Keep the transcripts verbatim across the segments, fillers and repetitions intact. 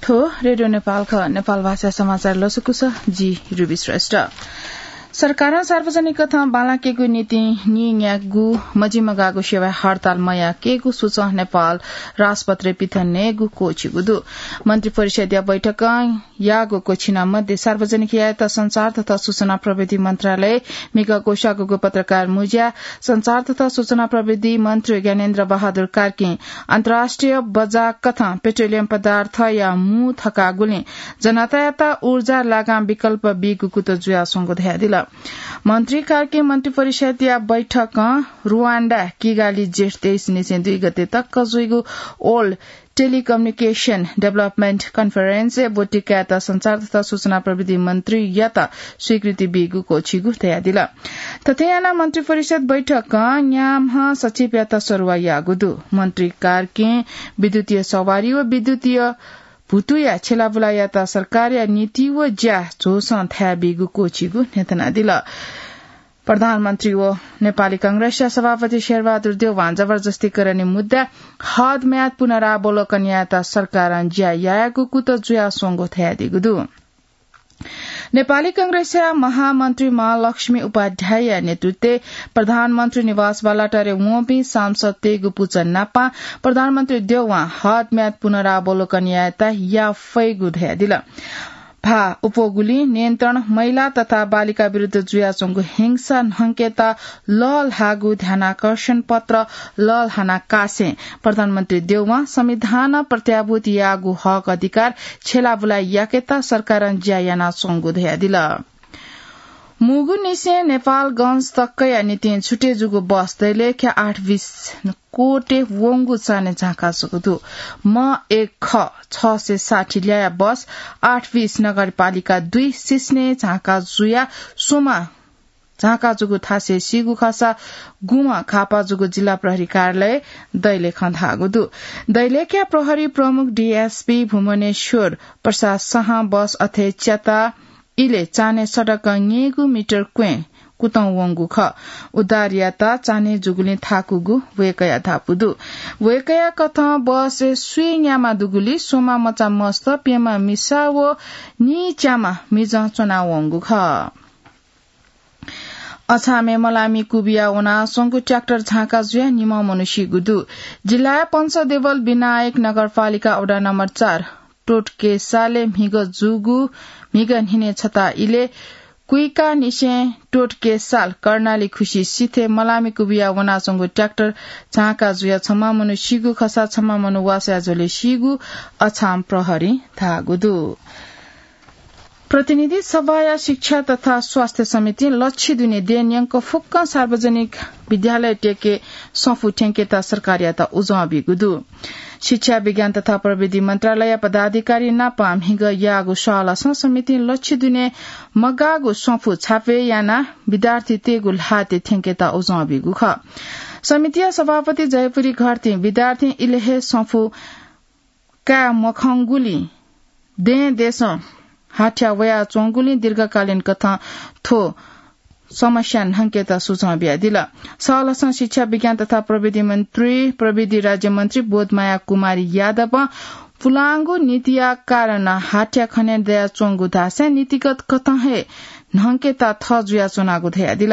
थ्व रेडियो नेपाल खः। नेपाल भाषा समाचार लसकुस, जि रुबी श्रेष्ठ। सरकारं सार्वजनिक कथं बांलाकेगु निंतिं नीन्यागू मजिमगाःगु सेवा हडताल मयाकेगु सूचं नेपाल राजपत्रय् पिथनेगु क्वःछिगु दु। मन्त्री परिषद्या बैठकं याःगु क्वःछिना मध्ये सार्वजनिक यायेत संचार तथा सूचना प्रविधि मन्त्रालय म्हिगः क्वसाःगु पत्रकार मुँज्या संचार तथा सूचना प्रविधि मन्त्री ज्ञानेन्द्र बहादुर कार्कीं अन्तर्राष्ट्रिय बजार कथं पेट्रोलियम पदार्थया मू थकागुलिं जनतायात ऊर्जा लागां विकल्प बीगु कुतः जुयाच्वंगु धयादिल। मन्त्री कार्कीं मन्त्री परिषद्या बैठकं रुवाण्डा किगाली जेठ तेइस निसें दुई गते तक जुइगु World Telecommunication Development Conference-य् ब्वति कायेत संचार तथा सूचना प्रविधि मन्त्रीयात स्वीकृति बीगु क्वःछिगु धयादिल। थथे यानाः मन्त्री परिषद बैठकं न्याम्ह सचिवयात सरुवा याःगु दु। मन्त्री कार्कीं विद्युतीय सवारी व विद्युतीय भुतुया छेलाबुलायात सरकारया नीति व ज्या झोसं थाय् बीगु क्वःछिगु न्ह्यथनादिल। प्रधानमन्त्री व नेपाली कांग्रेसया सभापति शेरबहादुर देउवां जबरजस्तीकरणया मुद्दा हदम्याद पुनरावलोकन यायेत सरकारं ज्या यायेगु कुतः जुयाच्वंगु धयादीगु दु। नेपाली कांग्रेसया महामन्त्री महालक्ष्मी उपाध्यायया नेतृत्वय् प्रधानमन्त्री निवास बालाटारय् वंपिं सांसदतय्गु पुचः नापं प्रधानमन्त्री देउवां हदम्याद पुनरावलोकन यायेत याफइगु धयादिल। भाः अप्वःगुलिं नियन्त्रण, महिला तथा बालिका विरुद्ध जुयाच्वंगु हिंसा न्हंकेत लःल्हाःगु ध्यानाकर्षण पत्र लःल्हाना कासें प्रधानमन्त्री देउवां संविधानं प्रत्याभूत याःगु हक अधिकार छेलाबुला याकेत सरकारं ज्या यानाच्वंगु धयादिल। मुगुनिसें नेपालगंज तकया निंतिं छुटे जूगु बस दैलेख्या आठ बिस कोटे वंगु चान्हय् झांका जूगु दु। म एक ख छ सय साठी ल्याया बस आठ बिस नगरपालिका दुई सिस्ने झांका जुया सोमा झांका जूगु थासय् सीगु खःसा गुम्ह घाःपा जूगु जिल्ला प्रहरी कार्यालय दैलेखं धाःगु दु। दैलेख्या प्रहरी प्रमुख डीएसपी भुवनेश्वर प्रसाद शाहं बस अथे च्याता इलय् चान्हय् सडकं न्यय्गू मिटर क्वँय् कुतं वंगु खः। उद्धार यात चान्हय् जूगुलिं थाकूगु वय्कःया धापू दु। वय्कःया कथं बसय् स्वीन्याम्ह दुगुलिं स्वम्ह मचा मस्त, प्यम्ह मिसा व नीच्याम्ह मिजं च्वनावंगु खः। अछामय् मलामी कुबिया वनाच्वंगु ट्र्याक्टर झांका जुयाः निम्ह मनू सीगु दु। जिल्लाया पञ्चदेवल विनायक नगरपालिका वडा नम्बर चार टोटकेसालय् म्हिगः जूगु, म्हिगः न्हिने छता इलय् कुइकानिसें टोटकेसाल कर्णाली खुसी सिथय् मलामी कुबिया वनाच्वंगु ट्र्याक्टर झांका जुयाः छम्ह मनू सीगु खःसा छम्ह मनू वासःया झ्वलय् सीगु अछाम प्रहरीं धाःगु दु। प्रतिनिधि सभाया शिक्षा तथा स्वास्थ्य समितिं लच्छि दुने देय् न्यंक फुक्कं सार्वजनिक विद्यालयतय्के सफू थ्यंकेत सरकारयात उजं बीगु दु। शिक्षा, विज्ञान तथा प्रविधि मन्त्रालय पदाधिकारी नाप म्हिगः याःगु स्वालसं समितिं लच्छि दुने मगाःगु सफू छापे यानाः विद्यार्थीतय्गु ल्हातय् थ्यंकेत उजं बीगु खः। समितिया सभापति जयपुरी घरतीं विद्यार्थीं इलय् हे सफू काये मखंगुलिं दें देसं हाथ्या वयाच्वंगुलिं दीर्घकालीन कथं थ्व समस्या न्हंकेत सुझाव बियादिल। स्वालसं शिक्षा, विज्ञान तथा प्रविधि मन्त्री, प्रविधि राज्यमन्त्री बोधमाया कुमारी यादवं पुलांगु नीतिया कारणं हाथ्या खने दयाच्वंगु धासें नीतिगत कथं हे न्हंकेत थः जुयाच्वनागु धयादिल।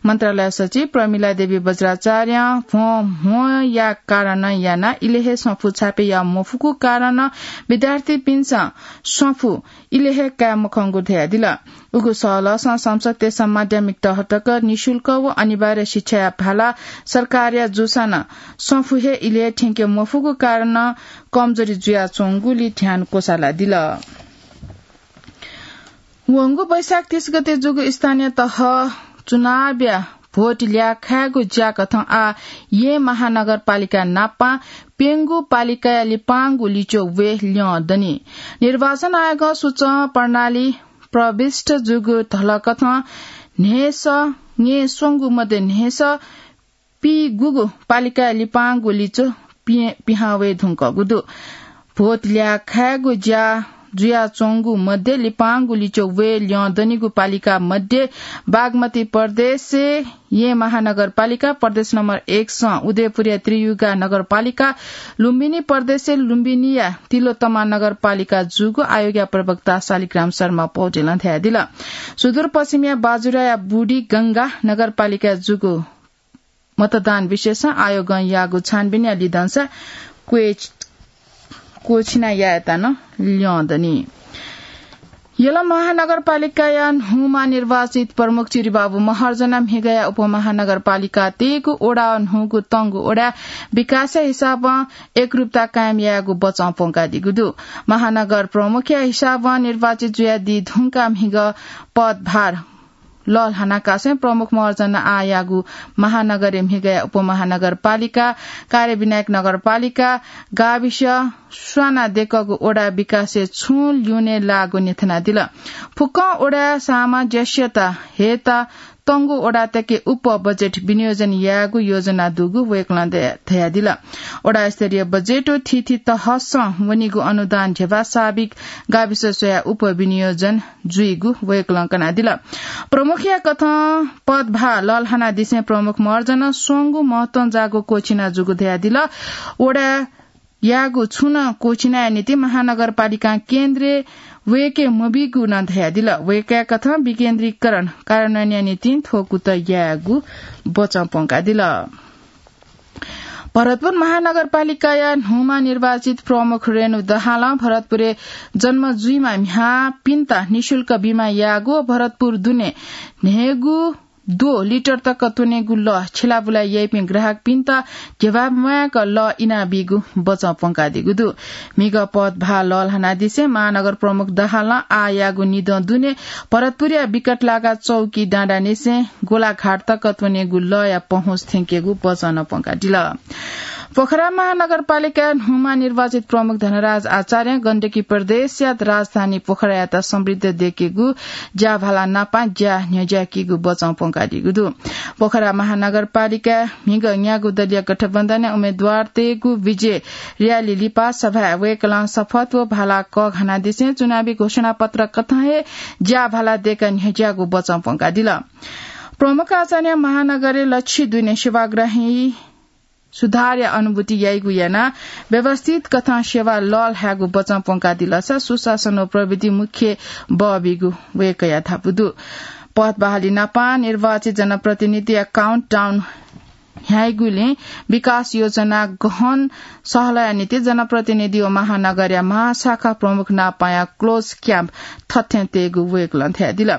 मन्त्रालय सचिव प्रमिला देवी बज्राचार्यं भ्वंम्हया कारणं यानाः इलय् हे सफू छापे याये मफुगु कारणं विद्यार्थीपिन्सं सफू इलय् हे काये मखंगु धयादिल। उगु स्वालसं संसदतय्सं माध्यमिक तह तक निशुल्क व अनिवार्य शिक्षाया भाला सरकारया जूसां नं सफू हे इलय् हे थ्यंके मफुगु कारणं कमजोरी जुयाच्वंगुलिं ध्यान क्वसालादिल। वंगु वैशाख तीस गते जूगु स्थानीय तह चुनावया भोट ल्याखायेगु ज्याकथं आः येँ महानगरपालिका नापं प्यंगू पालिकाया लिपांगु लिच्वः वये ल्यं दनि। निर्वाचन आयोगं सूचं प्रणाली प्रविष्ट जूगु धलकथं न्हय्सः, न्यय्स्वंगू मध्ये न्हय्सः पीगूगु पालिकाया लिपांगु लिच्वः पिहां वये धुंकूगु दु। भोट ल्याखायेगु ज्या जुयाच्वंगु मध्ये लिपांगु लिच्वः वये ल्यं दनिगु पालिका मध्ये बागमती प्रदेशय् येँ महानगरपालिका प्रदेश नम्बर एक सं उदयपुरया त्रियुगा नगरपालिका, लुम्बिनी प्रदेशय् लुम्बिनीया तिलोत्तमा नगरपालिका जूगु आयोगया प्रवक्ता शालिग्राम शर्मा पौडेलं धयादिल। सुदूरपश्चिमया बाजुराया बुढीगंगा नगरपालिका जूगु मतदान विशेषं आयोगं याःगु छानबिनया लिधंसा क्वय्-, क्वःछिना यायेत नं ल्यं दनि। यल महानगरपालिकाया न्हूमा निर्वाचित प्रमुख चिरिबाबु महर्जन म्हिगया उपमहानगरपालिका तेगु ओडा न्हूगु तंगु ओडा विकासया हिसाबं एकरूपता कायम यायेगु बचं प्वंकादीगु दु। महानगर प्रमुखया हिसाबं निर्वाचित जुयादी धुंका म्हिग पदभार लःल्हानाकासें प्रमुख महर्जन आःयागु महानगरय् म्हिगया उपमहानगरपालिका, कार्यविनायक नगरपालिका, गाविस स्वाना देकःगु ओडा विकासय् छुं ल्यूने लाःगु न्ह्यथनादिल। फुक्कं ओडाया सामंजस्यता हयेत तंगु ओडातय्के उप बजेट विनियोजन यायेगु योजना दुगु वय्कलं धया-, धयादिल। ओडा स्तरीय बजेट व थीथी तहसं वनीगु अनुदान ध्यबा साबिक गाविस स्वयाः उप विनियोजन जुइगु वय्कलं कनादिल। प्रमुखया कथं पदभार लःल्हानादिसें प्रमुख महर्जनं स्वंगू महत्वं जाःगु क्वःछिना जूगु धयादिल। ओडा याःगु छुं नं क्वःछिनाया निंतिं महानगरपालिकां केन्द्रय् वय्के मबीगु नं धयादिल। वय्कःया कथं विकेन्द्रीकरण कार्यान्वयनया निंतिं थ्व कुतः यायेगु बचं प्वंकादिल। भरतपुर महानगरपालिकाया न्हूमा निर्वाचित प्रमुख रेणु दहालं भरतपुरय् जन्म जुइमा म्ह्याय्‌पिन्त निशुल्क बिमा याःगु व भरतपुर दुने न्हय्‌गू द्वः लिटर तक त्वनेगु लः छिलाबुला याइपिं ग्राहकपिन्त ध्यबा म्वायेक लः इनाबीगु बचं प्वंकादीगु दु। म्हिगः पदभार लःल्हानादिसें महानगर प्रमुख दहालं आःयाःगु निदँ दुने भरतपुरया विकटलागा चौकी डाँडानिसें गोलाघाट तक त्वनेगु लःया पहुँच थ्यंकेगु बचं प्वंकादिल। पोखरा महानगरपालिकाया न्हूमा निर्वाचित प्रमुख धनराज आचार्यं गण्डकी प्रदेशया राजधानी पोखरायात समृद्ध देकेगु ज्याभाला नापं ज्या न्ह्यज्याकीगु बचं प्वंकादीगु दु। पोखरा महानगरपालिकाय् म्हिगः न्यागू दलीय गठबन्धनया उम्मेदवारतय्गु विजय र्‍याली लिपा सभाय् वय्कलं शपथ व भाला कःघानादिसें चुनावी घोषणापत्र कथं हे ज्याभाला देकाः न्ह्यज्याःगु बचं प्वंकादिल। प्रमुख आचार्यं महानगरय् लच्छि दुने सेवाग्राही सुधारया अनुभूति याइगु यानाः व्यवस्थित कथं सेवा लःल्हायेगु बचं प्वंकादिलसा सुशासन व प्रविधि मुख्य बः बीगु वय्कःया धापू दु। पद बहाली नापं निर्वाचित जनप्रतिनिधिया countdown न्ह्याइगुलिं विकास योजना गहन सहलया निंतिं जनप्रतिनिधि व महानगरया महाशाखा प्रमुख नापंया close camp थथें तयेगु वय्कलं धयादिल।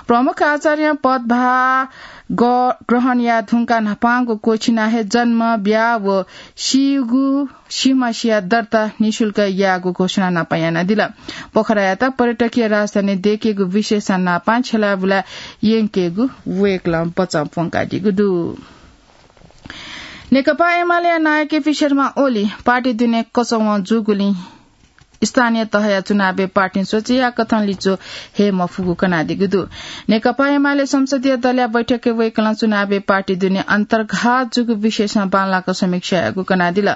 प्रमुख आचार्यं पदभार ग-, ग्रहण याये धुंकाः न्हापांगु क्वःछिना हे जन्म, ब्याहा व सीगु सिमसिया दर्ता निशुल्क यायेगु घोषणा नापं यानादिल। पोखरायात पर्यटकीय राजधानी दयेकेगु विशेषण नापं छ्यलाबुला यंकेगु वय्कलं बचं प्वंकादीगु दु। नेकपा एमालेया नायः केपी शर्मा ओली पार्टी दुने कचवं जूगुलिं स्थानीय तहया चुनावय् पार्टीं सोचे याःकथं लिच्वः हये मफुगु कनादीगु दु। नेकपा एमाले संसदीय दलया बैठकय् वय्कलं चुनावय् पार्टी दुने अन्तर्घात जूगु विषयसं बांलाक समीक्षा याःगु कनादिल।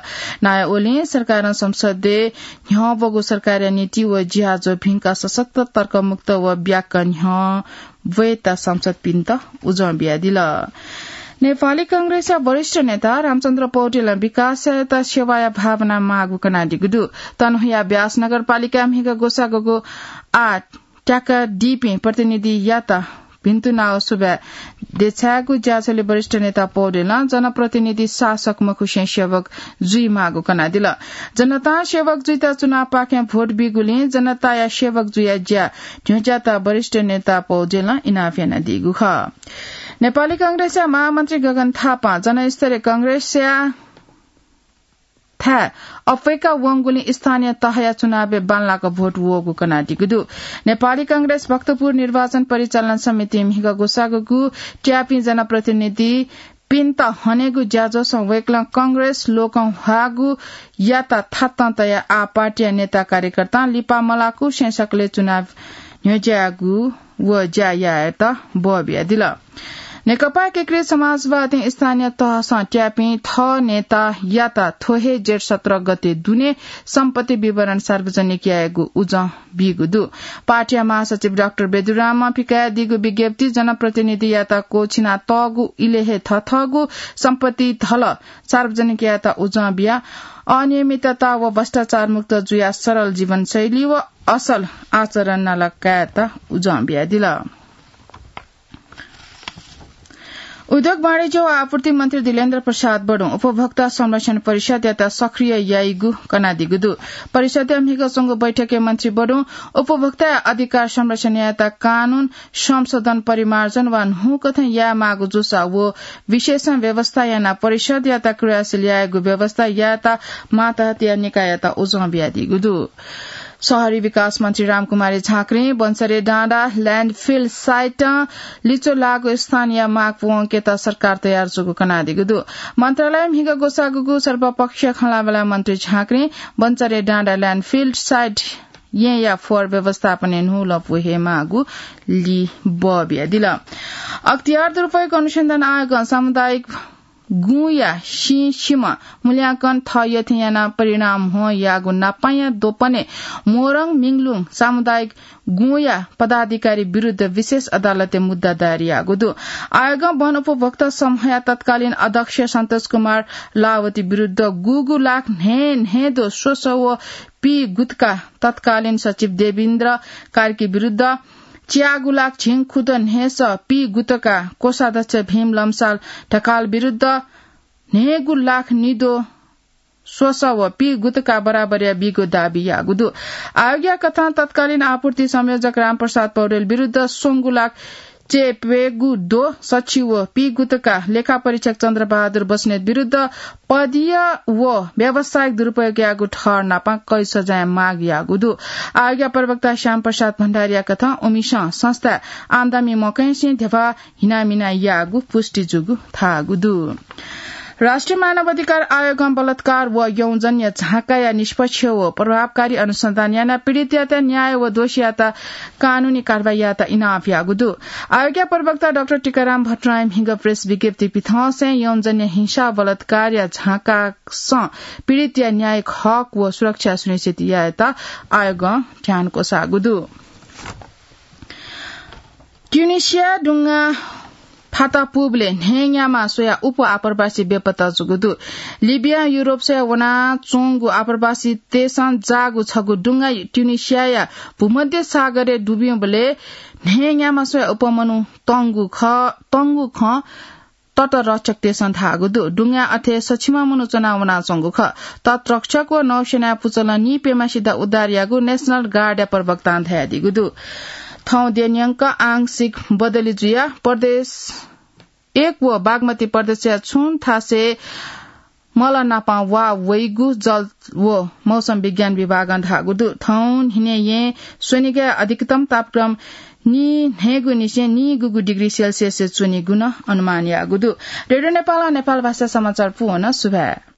नायः ओलीं सरकारं संसदय् न्ह्यः ब्वःगु सरकारया नीति व ज्याझ्वः भिंकाः सशक्त, तर्कमुक्त व ब्याक्क न्ह्यः ब्वयेत सांसदपिन्त उजं बियादिल। नेपाली कांग्रेसया वरिष्ठ नेता रामचन्द्र पौडेलं विकासयात सेवाया भावना माःगु कनादीगु दु। तनहुँया व्यास नगरपालिकाय् म्हिगः ग्वसाःग्वःगु आः त्याकादीपिं प्रतिनिधियात भिन्तुना व सुभाय् देछायेगु ज्याझ्वलय् वरिष्ठ नेता पौडेलं जनप्रतिनिधि शासक मखुसें सेवक जुइमाःगु कनादिल। जनतां सेवक जुइत चुनावपाखें भोट बीगुलिं जनताया सेवक जुया ज्या न्ह्यज्यात वरिष्ठ नेता पौडेलं इनाप यानादीगु खः। नेपाली कांग्रेसया महामन्त्री गगन थापां जनस्तरीय कांग्रेसया थाय् अप्वय्का वंगुलिं स्थानीय तहया चुनावय् बांलाक भोट वःगु कनादीगु दु। नेपाली कांग्रेस भक्तपुर निर्वाचन परिचालन समितिं म्हिगः ग्वसाःग्वःगु त्याःपिं जनप्रतिनिधिपिन्त हनेगु ज्याझ्वलय् वय्कलं कांग्रेस लोकंह्वाःगु यात थातं तयाः आः पार्टीया नेता कार्यकर्तां लिपा मलाकुसें सकलें चुनाव न्ह्यज्याःगु व ज्या यायेत बः बियादिल। नेकपा एकीकृत समाजवादी स्थानीय तहसं त्यापिं थः नेतायात थ्व हे जेठ सत्र गते दुने सम्पत्ति विवरण सार्वजनिक यायेगु उजं बीगु दु। पार्टीया महासचिव डाक्टर बेदुरामं पिकायादीगु विज्ञप्ति जनप्रतिनिधियात क्वःछिना तःगु इलय् हे थथःगु सम्पत्ति धल सार्वजनिक यायेत उजं बिया अनियमितता व भ्रष्टाचार मुक्त जुया सरल जीवनशैली व असल आचरण नाला कायेत उजं बियादिल। उद्योग, वाणिज्य व आपूर्ति मन्त्री दिलेन्द्र प्रसाद बडुं उपभोक्ता संरक्षण परिषदयात सक्रिय याइगु कनादीगु दु। परिषदया म्हिगः च्वंगु बैठकय् मन्त्री बडुं उपभोक्ता अधिकार संरक्षण यायेत कानून संशोधन परिमार्जन वा न्हूकथं यायेमाःगु जूसा व विशेषं व्यवस्था यानाः परिषदयात क्रियाशील यायेगु व्यवस्था यायेत मातहतया निकाययात उजं बियादीगु दु। शहरी विकास मन्त्री रामकुमारी झाँक्रीं बन्सरे डाँडा ल्याण्डफिल साइटं लिच्वः लाःगु स्थानीय माग पूवंकेत सरकार तयार जूगु कनादीगु दु। मन्त्रालयं म्हिगः ग्वसाःगु सर्वपक्षीय खँल्हाबल्हा मन्त्री झाँक्रीं बन्सरे डाँडा ल्याण्डफिल साइट येँया फोहोर व्यवस्थापनय् न्हूलपु हयेमाःगु लिपा बियादिल। अख्तियार दुरुपयोग अनुसन्धान आयोगं सामुदायिक गुँया सिंसिम्ह मूल्यांकन थःयथें यानाः परिणाम हं याःगु नापाया द्वपनय् मोरङ मिङलुङ सामुदायिक गुँया पदाधिकारी विरुद्ध विशेष अदालतय् मुद्दा दायर याःगु दु। आयोगं वन उपभोक्ता समूहया तत्कालीन अध्यक्ष सन्तोष कुमार लावती विरुद्ध गुगु लाख न्हय् न्हय् दु स्वसः व पी गुतका तत्कालीन सचिव देवेन्द्र कार्की विरुद्ध च्यागु लाख झिंखुद न्हय्‌सः पी गुतका कोषाध्यक्ष भीम लम्साल ढकाल विरुद्ध न्हय्‌गु लाख निद्वः स्वसः व पी गुतका बराबरया बीगु दाबी याःगु दु। आयोगया कथं तत्कालीन आपूर्ति संयोजक रामप्रसाद पौडेल विरुद्ध स्वंगु लाख च्यय्‌प्यंगू द्वः सछि व पी गुतका लेखा परीक्षक चन्द्रबहादुर बस्नेत विरुद्ध पदीय व व्यावसायिक दुरुपयोग याःगु ठहर नापं कैद सजाय माग याःगु दु। आयोगया प्रवक्ता श्यामप्रसाद भण्डारीया कथं उमिसं संस्थाय् आम्दानी मकंसें ध्यबा हिनामिना याःगु पुष्टि जूगु धाःगु दु। राष्ट्रिय मानव अधिकार आयोगं बलात्कार व यौनजन्य झाँकाया निष्पक्ष व प्रभावकारी अनुसन्धान यानाः पीडितयात न्याय व दोषीयात कानूनी कारवाही यायेत इनाप याःगु दु। आयोगया प्रवक्ता डाक्टर टीकाराम भट्टराईं म्हिगः प्रेस विज्ञप्ति पिथंसें यौनजन्य हिंसा व बलात्कारया झाँकासं पीडितया न्यायिक हक व सुरक्षा सुनिश्चित यायेत आयोगं ध्यान क्वसाःगु दु। ट्युनिसिया दुंगा फाता पुबलय् न्हय्‌न्यामा स्वयाः उप आप्रवासी बेपत्ता जूगु दु। लिबियां युरोप स्वयाः वनाच्वंगु आप्रवासीतय्‌सं जाःगु छगू दुंगा ट्युनिसियाया भूमध्य सागरय् दुब्यूबलय् न्हय्‌न्यामा स्वयाः उप मनू तंगु खः, तंगु खँ तटरक्षकतय्‌सं धाःगु दु। दुंगाय् अथे सछिमा मनू च्वना वनाच्वंगु खः। तटरक्षक व नौसेनाया पुचलं निइप्यम्ह सित उद्धार याःगु नेशनल गार्डया प्रवक्तां धयादीगु दु। थौं द्यः न्यंक आंशिक बदली जुयाः प्रदेश एक व बागमती प्रदेशया छुं थासय् मल नापं वा वइगु जल व मौसम विज्ञान विभागं धाःगु दु। थौं न्हिनय् येँ स्वनिगय् अधिकतम तापक्रम नीन्हय्‌गुनिसें नीगुगु डिग्री सेल्सियसय् च्वनीगु नं अनुमान याःगु दु। रेडियो नेपालं नेपाल भाषा समाचार पूवन सुभाय्।